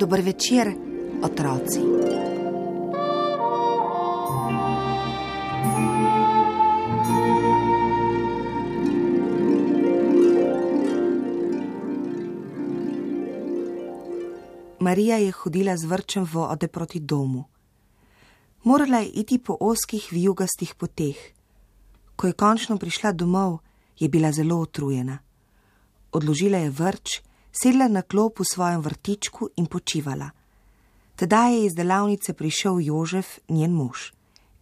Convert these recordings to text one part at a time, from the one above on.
Dober večer, otroci. Marija je hodila z vrčem vode proti domu. Morala je iti po ozkih vijugastih poteh. Ko je končno prišla domov, je bila zelo utrujena. Odložila je vrč, sedla na klop v svojem vrtičku in počivala. Tedaj je iz delavnice prišel Jožef, njen mož.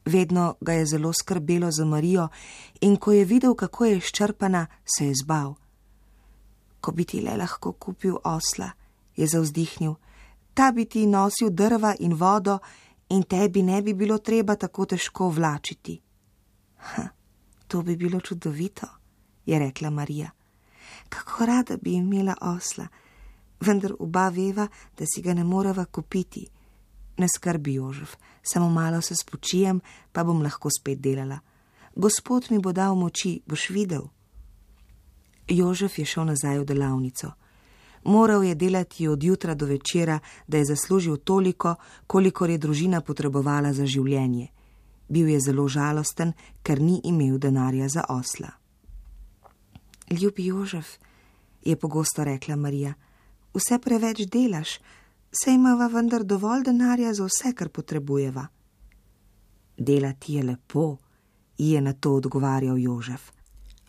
Vedno ga je zelo skrbelo za Marijo in ko je videl, kako je izčrpana, se je zbal. Ko bi ti le lahko kupil osla, je zavzdihnil, ta bi ti nosil drva in vodo in tebi ne bi bilo treba tako težko vlačiti. To bi bilo čudovito, je rekla Marija. Kako rada bi imela osla, vendar oba veva, da si ga ne moreva kupiti. Ne skrbi, Jožef, samo malo se spočijem, pa bom lahko spet delala. Gospod mi bo dal moči, boš videl. Jožef je šel nazaj v delavnico. Moral je delati od jutra do večera, da je zaslužil toliko, kolikor je družina potrebovala za življenje. Bil je zelo žalosten, ker ni imel denarja za osla. Ljubi Jožef, je pogosto rekla Marija, vse preveč delaš, saj imava vendar dovolj denarja za vse, kar potrebujeva. Delati je lepo, ji je na to odgovarjal Jožef.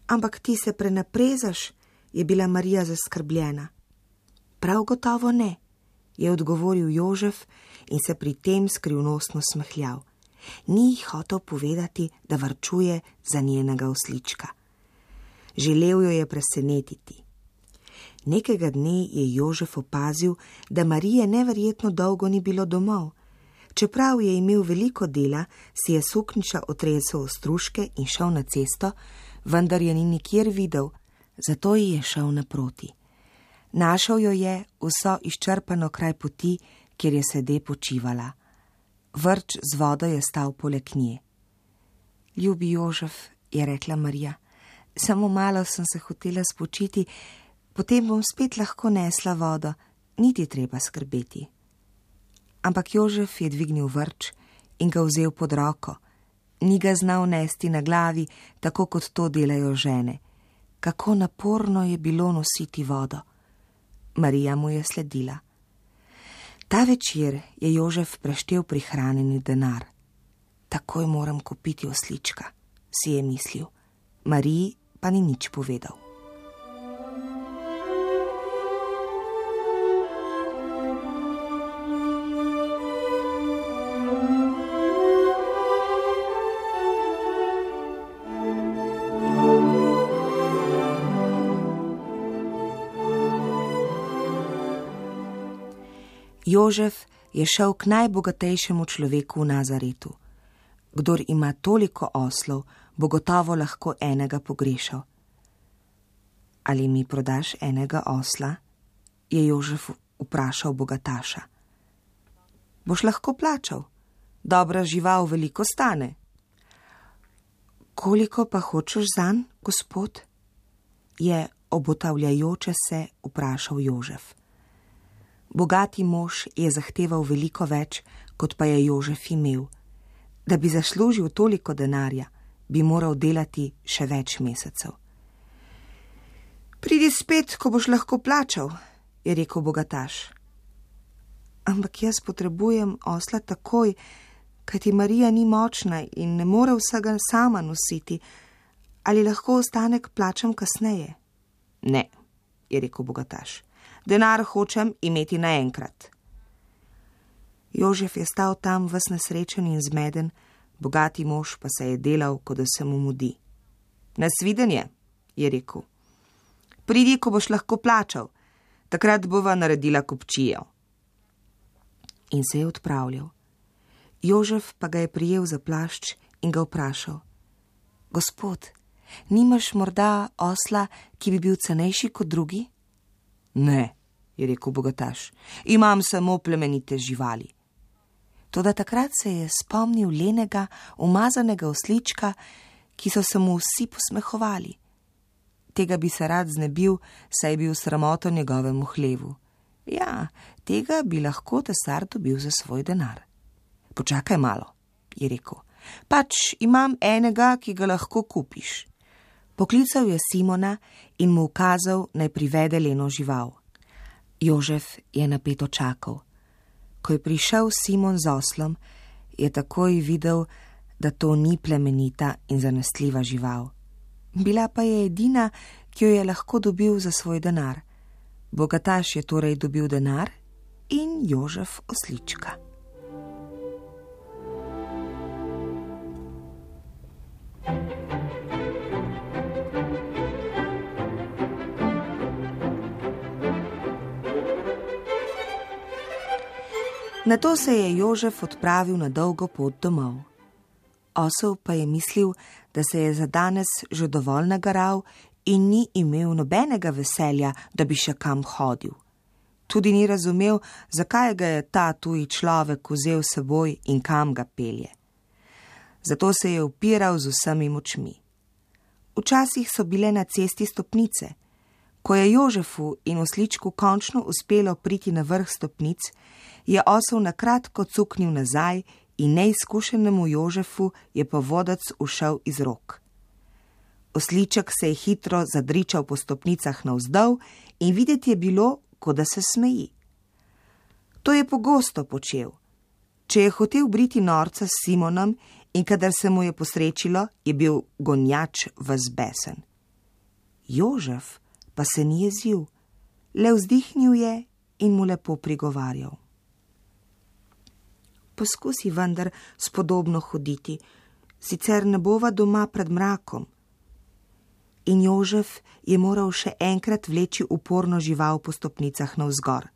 Ampak ti se prenaprezaš, je bila Marija zaskrbljena. Prav gotovo ne, je odgovoril Jožef in se pri tem skrivnostno smehljal. Ni ji hotel povedati, da varčuje za njenega oslička. Želel jo je presenetiti. Nekega dne je Jožef opazil, da Marije neverjetno dolgo ni bilo domov. Čeprav je imel veliko dela, si je suknjiča otresel ostružke in šel na cesto, vendar je ni nikjer videl, zato ji je šel naproti. Našel jo je vso izčrpano kraj poti, kjer je sede počivala. Vrč z vodo je stal poleg nje. Ljubi Jožef, je rekla Marija, samo malo sem se hotela spočiti, potem bom spet lahko nesla vodo, niti treba skrbeti. Ampak Jožef je dvignil vrč in ga vzel pod roko. Ni ga znal nesti na glavi, tako kot to delajo žene. Kako naporno je bilo nositi vodo. Marija mu je sledila. Ta večer je Jožef preštel prihranjeni denar. Takoj moram kupiti oslička, si je mislil. Mariji pa ni nič povedal. Jožef je šel k najbogatejšemu človeku v Nazaretu. Kdor ima toliko oslov, bo gotovo lahko enega pogrešal. Ali mi prodaš enega osla? Je Jožef vprašal bogataša. Boš lahko plačal. Dobra žival veliko stane. Koliko pa hočeš zanj, gospod? Je obotavljajoče se vprašal Jožef. Bogati mož je zahteval veliko več, kot pa je Jožef imel. Da bi zaslužil toliko denarja, bi moral delati še več mesecev. Pridi spet, ko boš lahko plačal, je rekel bogataš. Ampak jaz potrebujem osla takoj, kajti Marija ni močna in ne more vsega sama nositi. Ali lahko ostanek plačam kasneje? Ne, je rekel bogataš. Denar hočem imeti naenkrat. Jožef je stal tam ves nesrečen in zmeden, bogati mož pa se je delal, kot da se mu mudi. Nasvidenje, je rekel. Pridi, ko boš lahko plačal, takrat bova naredila kupčijo. in se je odpravljal. Jožef pa ga je prijel za plašč in ga vprašal: Gospod, nimaš morda osla, ki bi bil cenejši kot drugi? Ne, je rekel bogataš, imam samo plemenite živali. Toda takrat se je spomnil lenega, umazanega oslička, ki so se mu vsi posmehovali. Tega bi se rad znebil, saj je bil sramoto njegovemu hlevu. Ja, tega bi lahko tesar dobil za svoj denar. Počakaj malo, je rekel, pač imam enega, ki ga lahko kupiš. Poklical je Simona in mu ukazal, naj privede leno žival. Jožef je napeto čakal. Ko je prišel Simon z oslom, je takoj videl, da to ni plemenita in zanesljiva žival. Bila pa je edina, ki jo je lahko dobil za svoj denar. Bogataš je torej dobil denar in Jožef oslička. Nato se je Jožef odpravil na dolgo pot domov. Osel pa je mislil, da se je za danes že dovolj nagaral in ni imel nobenega veselja, da bi še kam hodil. Tudi ni razumel, zakaj ga je ta tuji človek vzel s seboj in kam ga pelje. Zato se je upiral z vsemi močmi. Včasih so bile na cesti stopnice. Ko je Jožefu in osličku končno uspelo priti na vrh stopnic, je osel na kratko cuknil nazaj in neizkušenemu Jožefu je povodac ušel iz rok. Osliček se je hitro zadričal po stopnicah navzdol in videti je bilo, kot da se smeji. To je pogosto počel. Če je hotel briti norca s Simonom in kadar se mu je posrečilo, je bil gonjač ves besen. Jožef pa se ni jezil, le vzdihnil je in mu lepo prigovarjal. Poskusi vendar spodobno hoditi, sicer ne bova doma pred mrakom. In Jožef je moral še enkrat vleči uporno žival po stopnicah navzgor.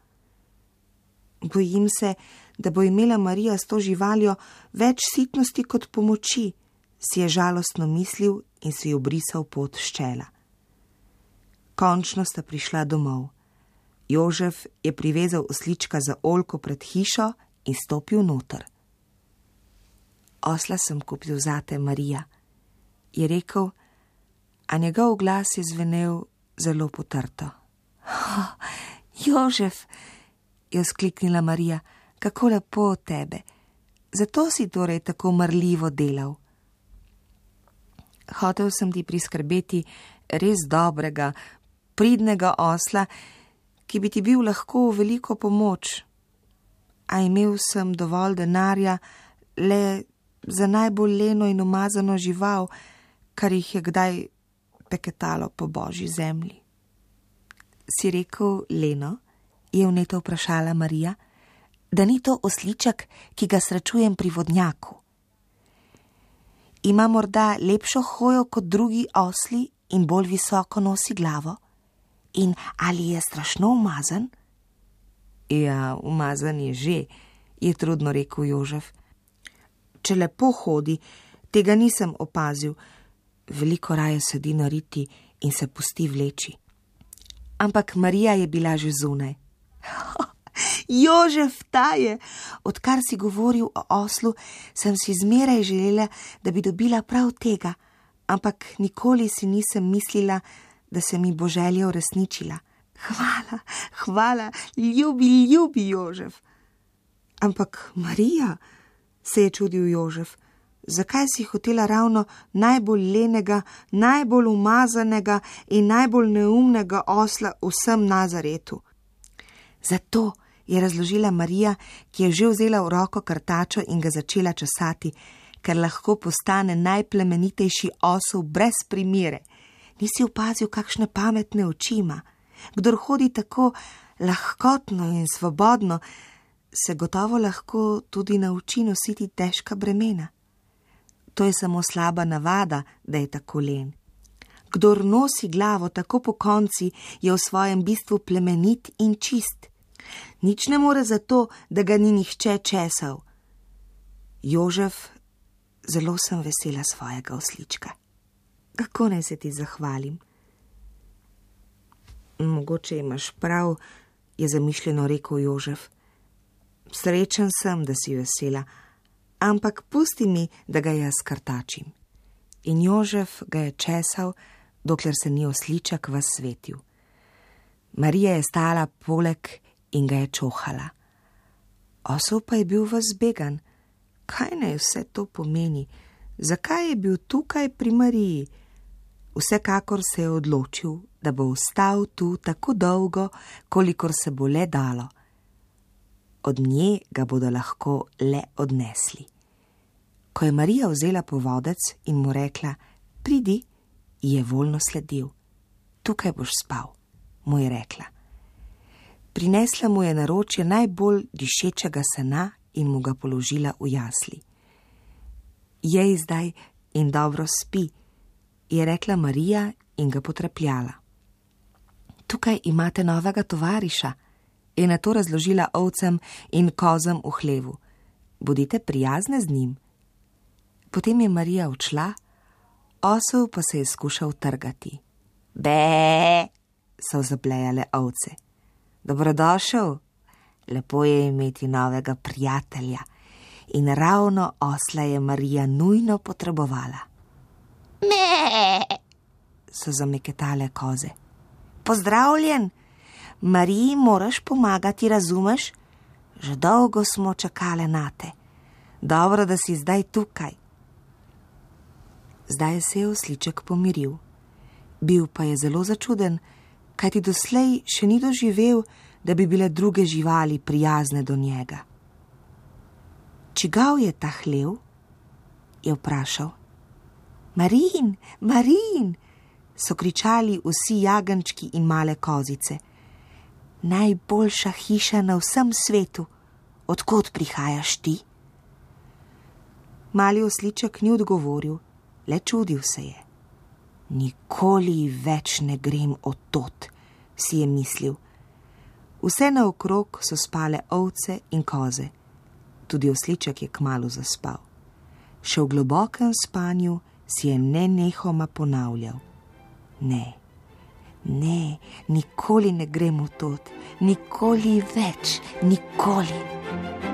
Bojim se, da bo imela Marija s to živaljo več sitnosti kot pomoči, si je žalostno mislil in si obrisal pot s čela. Končno sta prišla domov. Jožef je privezal oslička za oljko pred hišo in stopil noter. Osla sem kupil zate, Marija, je rekel, a njegov glas je zvenel zelo potrto. Jožef, je vzkliknila Marija, kako lepo od tebe. Zato si torej tako marljivo delal. Hotel sem ti priskrbeti res dobrega, pridnega osla, ki bi ti bil lahko v veliko pomoč. A imel sem dovolj denarja le za najbolj leno in umazano žival, kar jih je kdaj peketalo po božji zemlji. Si rekel leno? Je vneto vprašala Marija, da ni to osliček, ki ga srečujem pri vodnjaku. Ima morda lepšo hojo kot drugi osli in bolj visoko nosi glavo? In ali je strašno umazan? Ja, umazan je že, je trudno rekel Jožef. Če lepo hodi, tega nisem opazil. Veliko raje sedi na riti in se pusti vleči. Ampak Marija je bila že zunaj. Jožef, ta je! Odkar si govoril o oslu, sem si zmeraj želela, da bi dobila prav tega, ampak nikoli si nisem mislila, da se mi bo želja uresničila. Hvala, hvala, ljubi Jožef. Ampak Marija, se je čudil Jožef, zakaj si hotela ravno najbolj lenega, najbolj umazanega in najbolj neumnega osla v vsem Nazaretu? Zato, je razložila Marija, ki je že vzela v roko krtačo in ga začela česati, ker lahko postane najplemenitejši osel brez primere. Nisi opazil, kakšne pametne oči ima? Kdor hodi tako lahkotno in svobodno, se gotovo lahko tudi nauči nositi težka bremena. To je samo slaba navada, da je tako len. Kdor nosi glavo tako pokonci, je v svojem bistvu plemenit in čist. Nič ne more zato, da ga ni nihče česal. Jožef, zelo sem vesela svojega oslička. Kako naj se ti zahvalim? Mogoče imaš prav, je zamišljeno rekel Jožef. Srečen sem, da si vesela, ampak pusti mi, da ga jaz krtačim. In Jožef ga je česal, dokler se ni osliček ves svetil. Marija je stala poleg in ga je čohala. Osel pa je bil ves zbegan. Kaj naj vse to pomeni? Zakaj je bil tukaj pri Mariji? Vsekakor se je odločil, da bo ostal tu tako dolgo, kolikor se bo le dalo. Od nje ga bodo lahko le odnesli. Ko je Marija vzela povodec in mu rekla, pridi, je voljno sledil. Tukaj boš spal, mu je rekla. Prinesla mu je naročje najbolj dišečega sena in mu ga položila v jasli. Jej zdaj in dobro spi, je rekla Marija in ga potrepljala. Tukaj imate novega tovariša, je nato razložila ovcem in kozam v hlevu. Bodite prijazne z njim. Potem je Marija odšla, osel pa se je skušal trgati. Be, so zablejale ovce. Dobrodošel, lepo je imeti novega prijatelja. In ravno osla je Marija nujno potrebovala. Me, so zameketale koze. Pozdravljen, Mariji moraš pomagati, razumeš? Že dolgo smo čakale nate. Dobro, da si zdaj tukaj. Zdaj se je osliček pomiril. Bil pa je zelo začuden, kajti doslej še ni doživel, da bi bile druge živali prijazne do njega. Čigav je ta hlev? Je vprašal. Marin, Marin, so kričali vsi jagenčki in male kozice. Najboljša hiša na vsem svetu. Odkot prihajaš ti? Mali osliček ni odgovoril, le čudil se je. Nikoli več ne grem od tod, si je mislil. Vse naokrog so spale ovce in koze. Tudi osliček je kmalu zaspal. Še v globokem spanju si je nenehoma ponavljal. Ne, nikoli ne grem v tod, nikoli več, nikoli.